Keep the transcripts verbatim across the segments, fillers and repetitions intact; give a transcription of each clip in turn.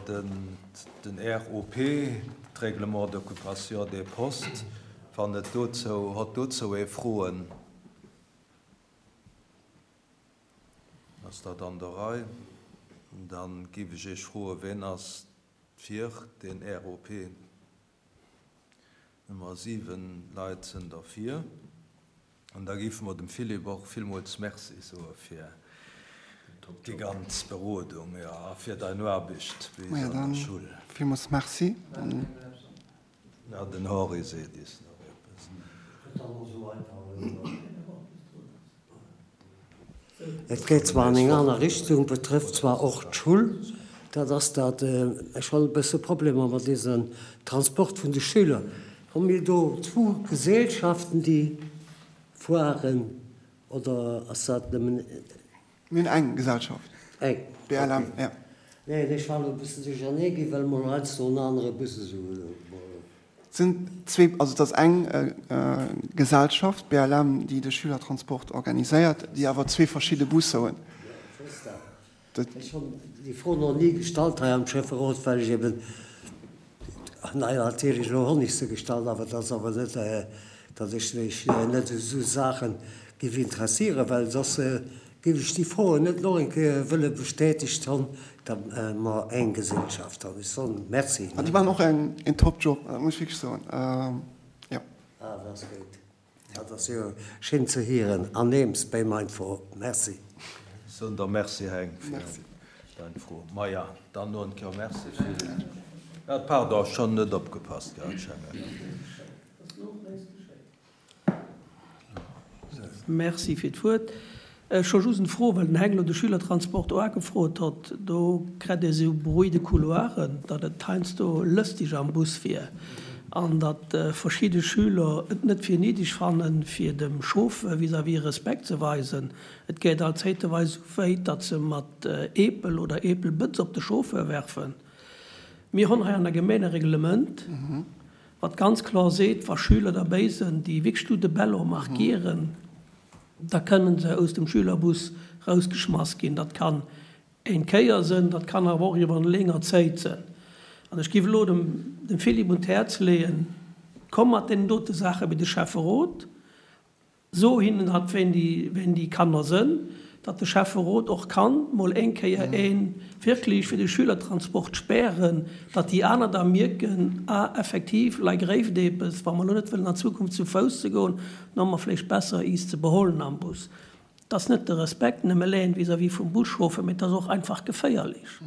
den, den R O P, d'Règlement d'occupation des postes, wann et dozou, huet dozou ee Froen? Ass dat an der Rei? Dann géif ech Iech froen, wien ass fir den R O P? Nummer siwen Leit sinn derfir. An da géife mer dem Philippe och villmools Merci soe fir déi ganz Berodung, jo, a fir deng Aarbecht bei Maja, der dann Schoul. Villmools Merci. Ja, den Henri seet is nach eppes. Et geet zwar an eng aner Richtung, betrëfft zwar och d'Schull, dat ass dat, ech hunn e bësse Problemer mat diesem Transport vun de Schüler. Hu mir do zwou Gesellschaften, déi fueren, oder ass dat nëmmen Mir hunn eng Gesellschaft. Eng? B L M, ja. Nee, ech war e bëssen duerchernee ginn, well mol heiansdo en anere Bus esou. Et sinn zwee, also et ass eng Gesellschaft, B L M, déi de Schülertransport organiséiert, déi awer zwee verschidde Busser hunn. Ja, ech weess dat. Ech hunn déi Fro nach ni gestallt hei am Schäfferot, well ech eben, naja, natierlech elo hunn ech se gestallt, awer dat ass awer net, datt ech mech net u sou Saache géif interessieren, well soss géif ech déi Froen net nach eng Kéier wëlle bestätegt hunn, datt mer eng Gesellschaft hunn. Ech soen Merci. An déi maachen och en en top Job, dat muss ech wierklech soen, jo. Ah, dat ass gutt. Dat ass jo schéin ze hieren. An neems bei mein Fro. Merci. Soen der Merci, Heng, fir Merci. dein Fro. Maja, dann no en Kéier Merci fir. Ja, pardon, schonn net opgepasst gehat, schengen. Merci fir d'Wuert. Ech hu just eng Fro, well den Heng elo de Schülertransport och ugefrot huet. Do kritt ee sou Bruit de couloiren, datt et heiansdo lëstig am Bus wier an datt verschidde Schüler et net fir néideg fannen, fir dem Chauffeur vis-à-vis Respekt ze weisen. Et geet alt zäiteweis esou wéit, datt se mat Eepel oder Eepelbëtz op de Chauffeur werfen. Mir hunn hei an der Gemeng e Reglement, wat ganz kloer seet, wa Schüler derbäi sinn, déi wierklech do de Bello markieren, da kënnen se aus dem Schülerbus rausgeschmass ginn. Dat kann eng Kéier sinn, dat kann awer och iwwer eng länger Zäit sinn. An ech géif elo dem, dem Philippe un d'Häerz leeën, komm mat deenen dote Saache bei de Schäfferot, so hinnen dat, wéi déi, wéi déi Kanner sinn, datt de Schäfferot och kann mol eng Kéier een wierklech fir de Schülertransport spären, datt déi aner da mierken, ah, effektiv, lei gréift eppes, wa mer elo net wëllen an Zukunft zu Fouss ze goen, dann hu mer vläicht besser is ze beholen am Bus. Dat ass net de Respekt nëmme leen vis-à-vis vum Buschauffer, mee et ass och einfach geféierlech,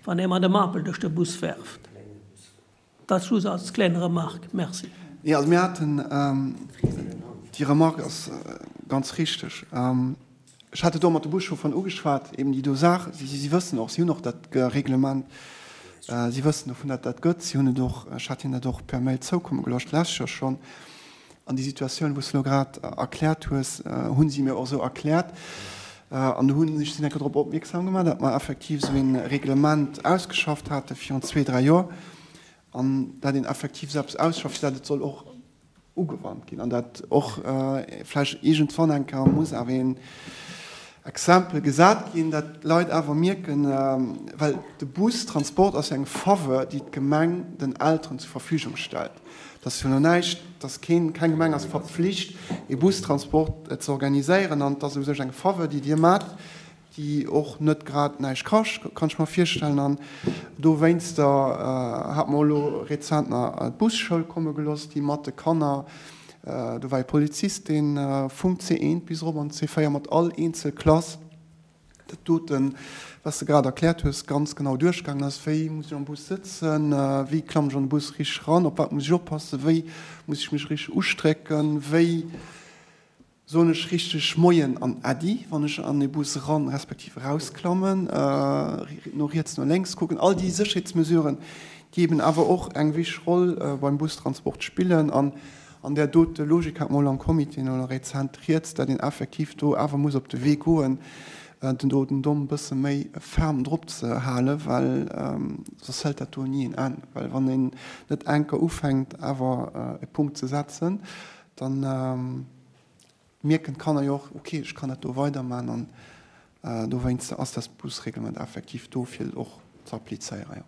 wann ee mat dem Apel duerch de Bus werft. Dat just als kleng Remarque. Merci. Jo, also mir haten, déi Remarque ass ganz richteg. Ech hat et och mat de Buschaufferen ugeschwat, eben déi do Saach. Si, si wëssen och, si hunn och dat Reglement, si wëssen dovun, datt dat gëtt. Si hunn et och, ech hat hinnen dat och per Mail zoukomme gelooss d'lescht Joer schonn. An déi Situatioun, wou s de elo grad erkläert hues, hu si mir och esou erkläert. An do hunn ech si eng Kéier drop opmierksam gemaach, datt mer effektiv esou ee Reglement ausgeschafft hate virun zwee, dräi Joer an dat een effektiv esou eppes ausschafft, fir dat et soll och ugewannt ginn an dat och vläicht iergendwann eng Kéier muss awer een Exempel gesat ginn, dat d'Leit awer mierken, well de Bustransport ass jo eng Faveur, déi d'Gemeng den Elteren zur Verfügung stellt. Dat ass jo elo näischt, dass keen, keng Gemeng ass verpflicht, ee Bustransport ze organiséieren an et ass u sech eng Faveur, déi Dir maacht, déi och net grad näischt kascht, kann ech mer virstellen. An dowéinster hate mer elo rezent nach d'Busschoul komme gelooss, déi mat de Kanner, do war ee Polizist, dee vum C eent bis erop an C véier mat all eenzel Klass dat doten, wat s de grad erkläert hues, ganz genau duerchgaangen ass, wéi muss ech am Bus sëtzen, wéi klammen ech an de Bus richteg eran, op wat muss ech oppassen, wéi muss ech mech richteg ustrécken, wéi soen ech richteg Moien an Äddi, wann ech an e Bus eran respektiv erausklammen, no riets, no lénks kucken, all déi Sécherheetsmesuren, déi eben awer och eng wichteg Roll beim Bustransport spillen. An an där dote Logik hat mer elo am Comité elo rezent rieds, datt een effektiv do awer muss op de Wee goen, den do den Domm e bësse méi ferm drop ze halen, well soss hëlt dat do ni en Enn. Well wann een net enker ufänkt awer e Punkt ze setzen, dann mierken d'Kanner jo och, ok, ech kann dat do weiderman an dowéinst ass dat Busreglement effektiv do fir et och ze applizéieren, jo.